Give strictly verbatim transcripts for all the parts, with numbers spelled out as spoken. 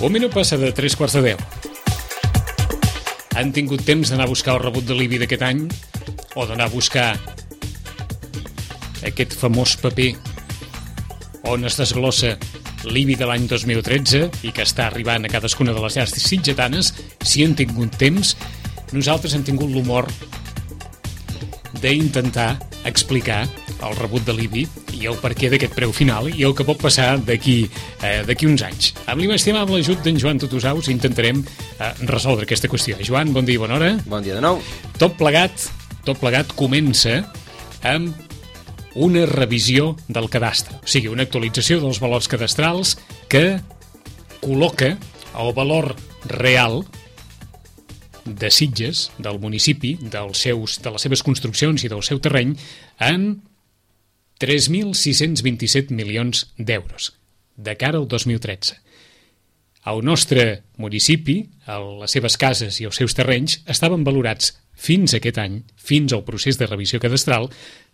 Un minut passa de tres quarts de deu. Han tingut temps d'anar a buscar el rebut de l'I B I d'aquest any o d'anar a buscar aquest famós paper on es desglossa l'I B I de l'any dos mil tretze i que està arribant a cadascuna de les llars sitgetanes? Si han tingut temps, nosaltres hem tingut l'humor d'intentar explicar el rebut de l'I B I i el perquè d'aquest preu final i el que pot passar d'aquí eh, d'aquí uns anys. Amb l'inestimable ajut d'en Joan Tutusaus intentarem eh, resoldre aquesta qüestió. Joan, bon dia i bona hora. Bon dia de nou. Tot plegat, tot plegat comença amb una revisió del cadastre, o sigui, una actualització dels valors cadastrals que col·loca el valor real de Sitges, del municipi, dels seus, de les seves construccions i del seu terreny, en tres mil sis-cents vint-i-set milions d'euros, de cara al dos mil tretze. El nostre municipi, les seves cases i els seus terrenys, estaven valorats fins aquest any, fins al procés de revisió cadastral,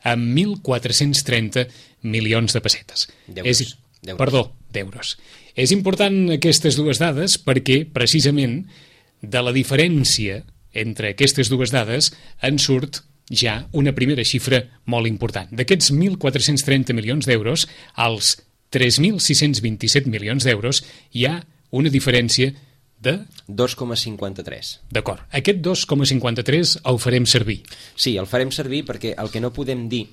amb mil quatre-cents trenta milions de pessetes. D'euros. És, perdó, d'euros. És important aquestes dues dades perquè, precisament, de la diferència entre aquestes dues dades en surt ja una primera xifra molt important. D'aquests mil quatre-cents trenta milions d'euros, als tres mil sis-cents vint-i-set milions d'euros, hi ha una diferència de... dos coma cinquanta-tres. D'acord. Aquest dos coma cinquanta-tres el farem servir. Sí, el farem servir perquè el que no podem dir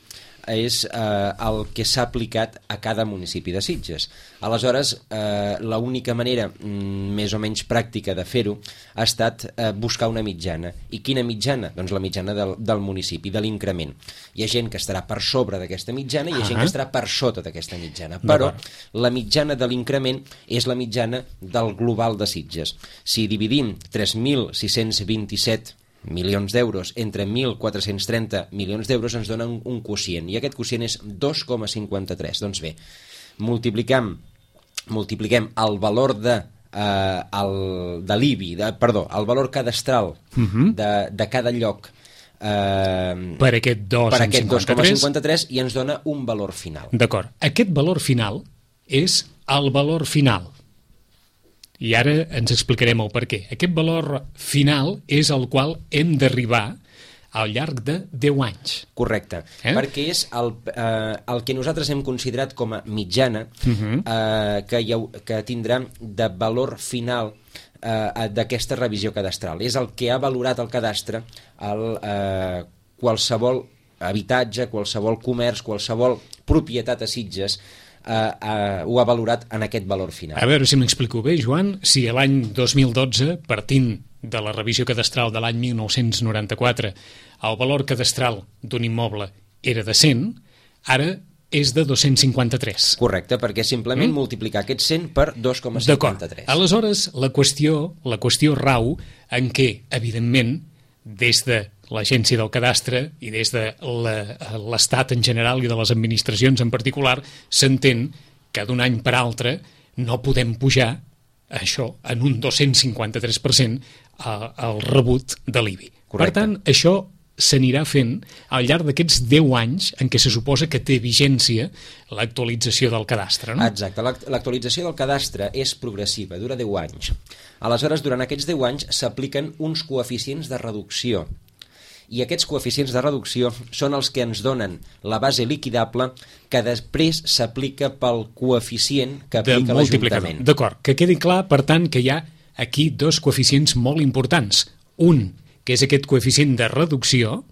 és eh, el que s'ha aplicat a cada municipi de Sitges. Aleshores, eh, l'única manera mm, més o menys pràctica de fer-ho ha estat eh, buscar una mitjana. I quina mitjana? Doncs la mitjana del, del municipi, de l'increment. Hi ha gent que estarà per sobre d'aquesta mitjana i hi ha gent que estarà per sota d'aquesta mitjana. Però la mitjana de l'increment és la mitjana del global de Sitges. Si dividim tres mil sis-cents vint-i-set milions d'euros entre mil quatre-cents trenta milions d'euros ens dona un, un quocient, i aquest quocient és dos coma cinquanta-tres. Doncs bé, multipliquem, multipliquem el valor de, eh, el, de l'I B I, de, perdó, el valor cadastral uh-huh. de, de cada lloc eh, per aquest dos coma cinquanta-tres i ens dona un valor final. D'acord. Aquest valor final és el valor final. I ara ens explicarem el per què. Aquest valor final és el qual hem d'arribar al llarg de deu anys. Correcte, eh? Perquè és el, eh, el que nosaltres hem considerat com a mitjana uh-huh. eh, que, ha, que tindrà de valor final eh, d'aquesta revisió cadastral. És el que ha valorat el cadastre el, eh, qualsevol habitatge, qualsevol comerç, qualsevol propietat a Sitges, Uh, uh, ho ha valorat en aquest valor final. A veure si m'explico bé, Joan. Si l'any dos mil dotze, partint de la revisió cadastral de l'any mil nou-cents noranta-quatre, el valor cadastral d'un immoble era de cent, ara és de dos-cents cinquanta-tres. Correcte, perquè simplement mm? multiplicar aquest cent per dos coma cinquanta-tres. D'acord. Aleshores, la qüestió, la qüestió rau en què, evidentment, des de l'Agència del Cadastre i des de l'Estat en general i de les administracions en particular, s'entén que d'un any per altre no podem pujar això en un dos-cents cinquanta-tres per cent al rebut de l'I B I. Correcte. Per tant, això s'anirà fent al llarg d'aquests deu anys en què se suposa que té vigència l'actualització del cadastre, no? Exacte, l'actualització del cadastre és progressiva, dura deu anys. Aleshores, durant aquests deu anys s'apliquen uns coeficients de reducció. I aquests coeficients de reducció són els que ens donen la base liquidable que després s'aplica pel coeficient que aplica l'Ajuntament. D'acord, que quedi clar, per tant, que hi ha aquí dos coeficients molt importants. Un, que és aquest coeficient de reducció,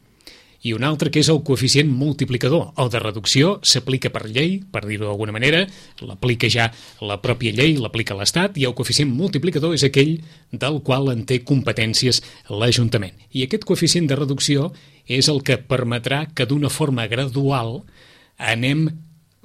i un altre que és el coeficient multiplicador. El de reducció s'aplica per llei, per dir-ho d'alguna manera, l'aplica ja la pròpia llei, l'aplica l'Estat, i el coeficient multiplicador és aquell del qual en té competències l'Ajuntament. I aquest coeficient de reducció és el que permetrà que d'una forma gradual anem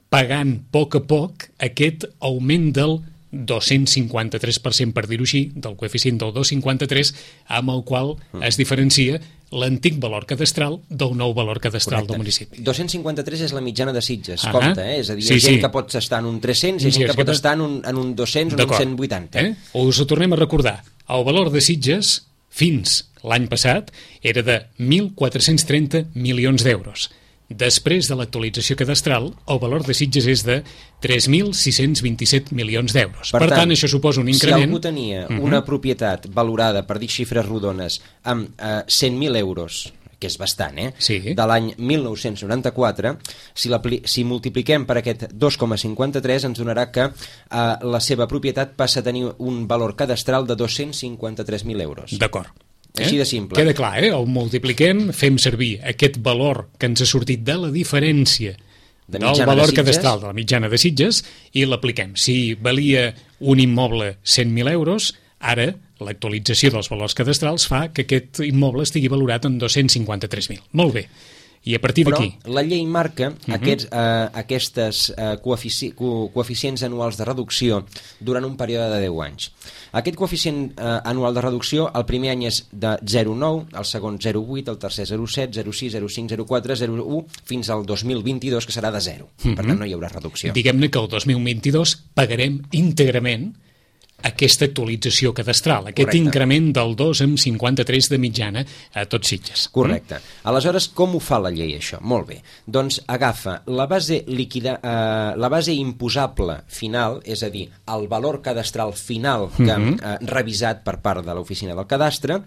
pagant a poc a poc aquest augment del dos-cents cinquanta-tres per cent, per dir-ho així, del coeficient del dos coma cinquanta-tres, amb el qual es diferencia l'antic valor cadastral del nou valor cadastral Correcte. Del municipi. dos-cents cinquanta-tres és la mitjana de Sitges, ah compte, eh? És a dir, hi ha sí, gent sí. que pot estar en un tres-cents, hi ha gent que pot estar en un, en un dos-cents o en un cent vuitanta. Eh? Us ho tornem a recordar. El valor de Sitges, fins l'any passat, era de mil quatre-cents trenta milions d'euros. Després de l'actualització cadastral, el valor de Sitges és de tres mil sis-cents vint-i-set milions d'euros. Per, per tant, tant, això suposa un increment... Si algú tenia uh-huh. una propietat valorada, per dir xifres rodones, amb eh, cent mil euros, que és bastant, eh? Sí. De l'any mil nou-cents noranta-quatre, si, si multipliquem per aquest dos coma cinquanta-tres ens donarà que eh, la seva propietat passa a tenir un valor cadastral de dos-cents cinquanta-tres mil euros. D'acord. Eh? Així de simple. Queda clar, eh? El multipliquem, fem servir aquest valor que ens ha sortit de la diferència de del valor de cadastral de la mitjana de Sitges i l'apliquem. Si valia un immoble cent mil euros, ara l'actualització dels valors cadastrals fa que aquest immoble estigui valorat en dos-cents cinquanta-tres mil. Molt bé. I a partir d'aquí... Però la llei marca uh-huh. aquests, eh, aquestes eh, coefici co coeficients anuals de reducció durant un període de deu anys. Aquest coeficient eh, anual de reducció, el primer any és de zero coma nou, el segon zero coma vuit, el tercer zero coma set, zero coma sis, zero coma cinc, zero coma quatre, zero coma u, fins al dos mil vint-i-dos, que serà de zero. Uh-huh. Per tant, no hi haurà reducció. Diguem-ne que el dos mil vint-i-dos pagarem íntegrament aquesta actualització cadastral, aquest Correcte. increment del dos coma cinquanta-tres de mitjana a tots Sitges. Correcte. Mm? Aleshores, com ho fa la llei, això? Molt bé. Doncs agafa la base, liquida, eh, la base imposable final, és a dir, el valor cadastral final que mm-hmm. eh, revisat per part de l'oficina del cadastre,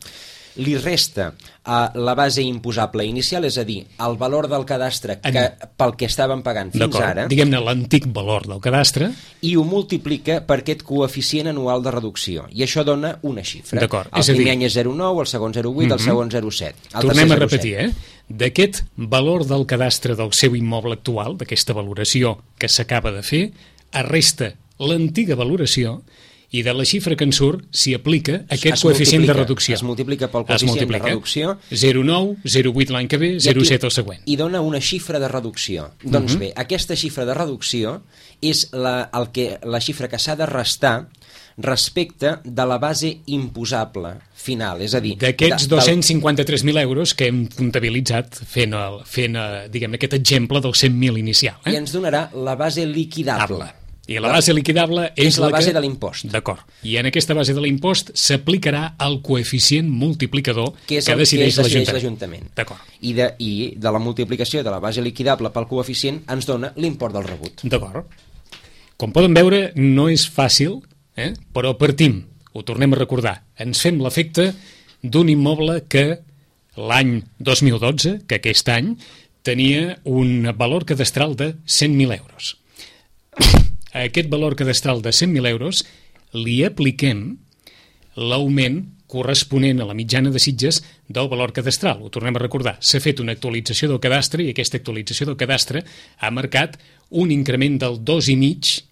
li resta a la base imposable inicial, és a dir, el valor del cadastre que, pel que estàvem pagant fins ara, diguem-ne l'antic valor del cadastre, i ho multiplica per aquest coeficient anual de reducció, i això dona una xifra. D'acord. El és primer dir... any és zero coma nou, el segon zero coma vuit, mm-hmm. el segon zero coma set. Tornem a repetir, eh? D'aquest valor del cadastre del seu immoble actual, d'aquesta valoració que s'acaba de fer, es resta l'antiga valoració i de la xifra que en surt s'hi aplica aquest coeficient de reducció. Es multiplica pel coeficient de reducció. zero coma nou, zero coma vuit l'any que ve, zero coma set el següent. I dona una xifra de reducció. Uh-huh. Doncs bé, aquesta xifra de reducció és la, el que, la xifra que s'ha de restar respecte de la base imposable final, és a dir... D'aquests dos-cents cinquanta-tres mil euros que hem comptabilitzat fent, el, fent diguem, aquest exemple del cent mil inicial. Eh? I ens donarà la base liquidable. Able. I la base liquidable és, és la, la base que... de l'impost. D'acord. I en aquesta base de l'impost s'aplicarà el coeficient multiplicador que, és que el, decideix, que decideix l'Ajuntament. D'acord. I, de, I de la multiplicació de la base liquidable pel coeficient ens dona l'import del rebut. D'acord. Com poden veure, no és fàcil, eh? Però partim, ho tornem a recordar, ens fem l'efecte d'un immoble que l'any dos mil dotze, que aquest any, tenia un valor cadastral de cent mil euros. A aquest valor cadastral de cent mil euros li apliquem l'augment corresponent a la mitjana de Sitges del valor cadastral. Ho tornem a recordar. S'ha fet una actualització del cadastre i aquesta actualització del cadastre ha marcat un increment del dos i mig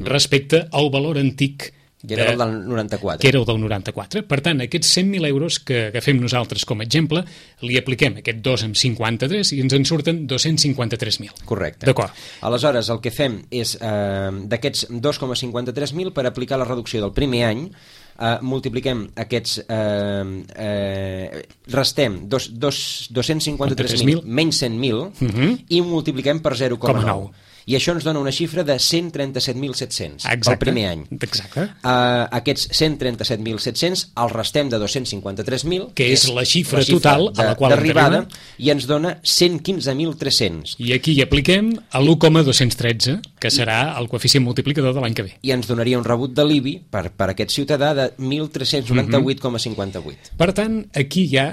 respecte al valor antic que era el del noranta-quatre. Que era el del noranta-quatre. Per tant, aquests cent mil euros que agafem nosaltres com a exemple, li apliquem aquest dos coma cinquanta-tres i ens en surten dos-cents cinquanta-tres mil. Correcte. D'acord. Aleshores, el que fem és, eh, d'aquests dos coma cinquanta-tres mil, per aplicar la reducció del primer any, eh, multipliquem aquests... Eh, eh, restem dos, dos, dos-cents cinquanta-tres mil menys cent mil uh-huh. i multipliquem per zero coma nou. I això ens dona una xifra de cent trenta-set mil set-cents pel primer any. Exacte. Uh, aquests cent trenta-set mil set-cents els restem de dos-cents cinquanta-tres mil, que és la xifra, la xifra total de, a la qual d'arribada, i ens dona cent quinze mil tres-cents. I aquí hi apliquem l'u coma dos-cents tretze, que serà el coeficient multiplicador de l'any que ve. I ens donaria un rebut de l'I B I per, per aquest ciutadà de mil tres-cents noranta-vuit coma cinquanta-vuit. Per tant, aquí hi ha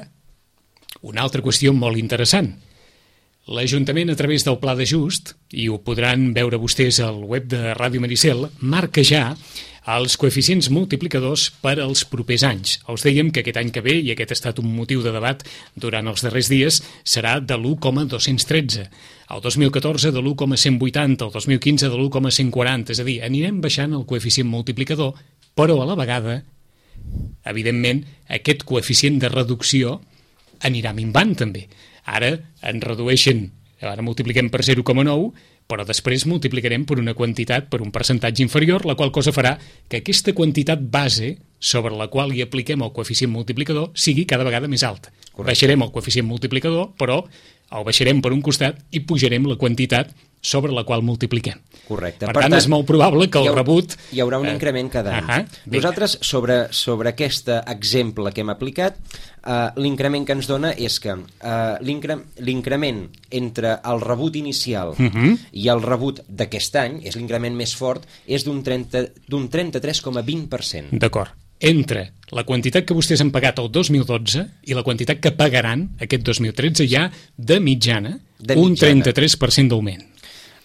una altra qüestió molt interessant. L'Ajuntament, a través del Pla d'Ajust, i ho podran veure vostès al web de Ràdio Maricel, marca ja els coeficients multiplicadors per als propers anys. Els dèiem que aquest any que ve, i aquest ha estat un motiu de debat durant els darrers dies, serà de l'u coma dos-cents tretze. El dos mil catorze de l'u coma cent vuitanta, el dos mil quinze de l'u coma cent quaranta. És a dir, anirem baixant el coeficient multiplicador, però a la vegada, evidentment, aquest coeficient de reducció anirà minvant també. Ara en redueixen, ara multipliquem per zero coma nou, però després multiplicarem per una quantitat, per un percentatge inferior, la qual cosa farà que aquesta quantitat base sobre la qual hi apliquem el coeficient multiplicador sigui cada vegada més alta. Correcte. Baixarem el coeficient multiplicador, però el baixarem per un costat i pujarem la quantitat sobre la qual multipliquem. Correcte. Per, per tant, tant, és molt probable que el hi haurà, rebut... Hi haurà un eh, increment cada any. Uh -huh, Nosaltres, sobre, sobre aquest exemple que hem aplicat, eh, l'increment que ens dona és que eh, l'increment entre el rebut inicial uh -huh. i el rebut d'aquest any, és l'increment més fort, és d'un trenta-tres coma vint per cent. D'acord. Entre la quantitat que vostès han pagat el dos mil dotze i la quantitat que pagaran aquest dos mil tretze hi ha, de mitjana, de mitjana. un trenta-tres per cent d'augment.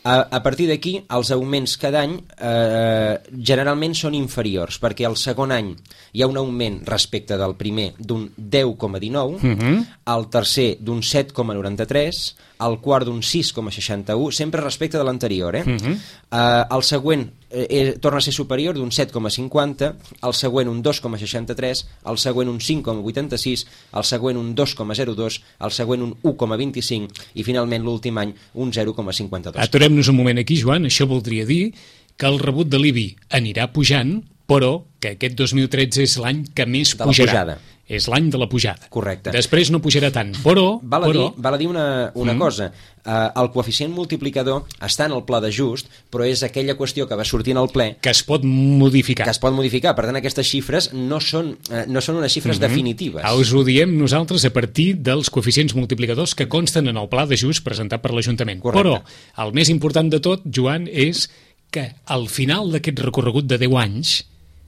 A, a partir d'aquí, els augments cada any eh, generalment són inferiors, perquè el segon any hi ha un augment respecte del primer d'un deu coma dinou, uh -huh. el tercer d'un set coma noranta-tres, el quart d'un sis coma seixanta-u, sempre respecte de l'anterior. Eh? Uh -huh. eh, el següent eh, torna a ser superior, d'un set coma cinquanta, el següent un dos coma seixanta-tres, el següent un cinc coma vuitanta-sis, el següent un dos coma zero dos, el següent un u coma vint-i-cinc i finalment l'últim any un zero coma cinquanta-dos. Aturem-nos un moment aquí, Joan. Això voldria dir que el rebut de l'I B I anirà pujant, però que aquest dos mil tretze és l'any que més de pujarà. La pujada. És l'any de la pujada. Correcte. Després no pujarà tant, però... Val a però... dir, val a dir una, una mm. cosa. Uh, el coeficient multiplicador està en el pla d'ajust, però és aquella qüestió que va sortir en el ple... Que es pot modificar. Que es pot modificar. Per tant, aquestes xifres no són, uh, no són unes xifres mm -hmm. definitives. Us ho diem nosaltres a partir dels coeficients multiplicadors que consten en el pla d'ajust presentat per l'Ajuntament. Però el més important de tot, Joan, és que al final d'aquest recorregut de deu anys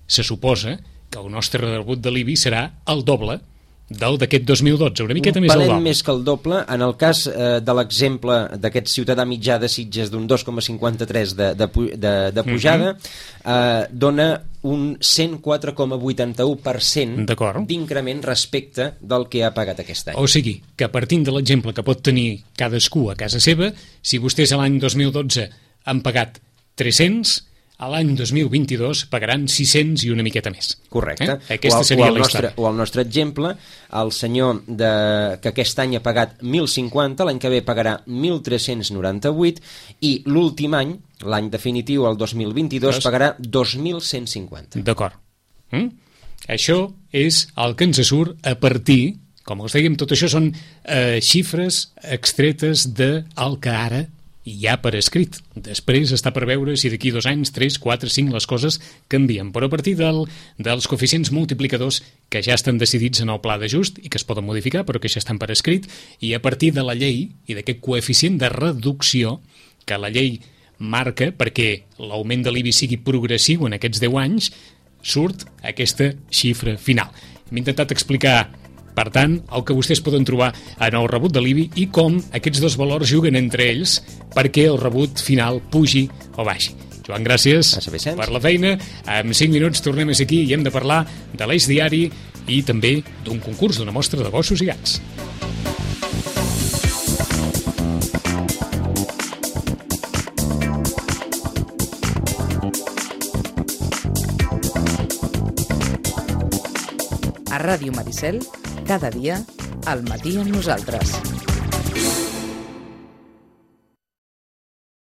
se suposa que el nostre rebut de l'I B I serà el doble del d'aquest dos mil dotze, una miqueta un més al doble. Un més que el doble. En el cas eh, de l'exemple d'aquest ciutadà mitjà de Sitges d'un dos coma cinquanta-tres de, de, de, de pujada, uh-huh. eh, dona un cent quatre coma vuitanta-u per cent d'increment respecte del que ha pagat aquest any. O sigui, que partint de l'exemple que pot tenir cadascú a casa seva, si vostès a l'any dos mil dotze han pagat tres-cents, a l'any dos mil vint-i-dos pagaran sis-cents i una miqueta més. Correcte. Eh? Aquesta o, seria o el la nostre, història. O el nostre exemple, el senyor de, que aquest any ha pagat mil cinquanta, l'any que ve pagarà mil tres-cents noranta-vuit i l'últim any, l'any definitiu, el dos mil vint-i-dos, Dos. pagarà dos mil cent cinquanta. D'acord. Mm? Això és el que ens surt a partir, com us dèiem, tot això són eh, xifres extretes del que ara hi ha per escrit. Després està per veure si d'aquí dos anys, tres, quatre, cinc les coses canvien. Però a partir del, dels coeficients multiplicadors que ja estan decidits en el pla d'ajust i que es poden modificar però que ja estan per escrit, i a partir de la llei i d'aquest coeficient de reducció que la llei marca perquè l'augment de l'I B I sigui progressiu en aquests deu anys, surt aquesta xifra final. Hem intentat explicar, per tant, el que vostès poden trobar en el rebut de l'I B I i com aquests dos valors juguen entre ells perquè el rebut final pugi o baixi. Joan, gràcies per la feina. En cinc minuts tornem a ser aquí i hem de parlar de l'Eix Diari i també d'un concurs, d'una mostra de gossos i gats. A Ràdio Maricel, cada dia, al matí amb nosaltres.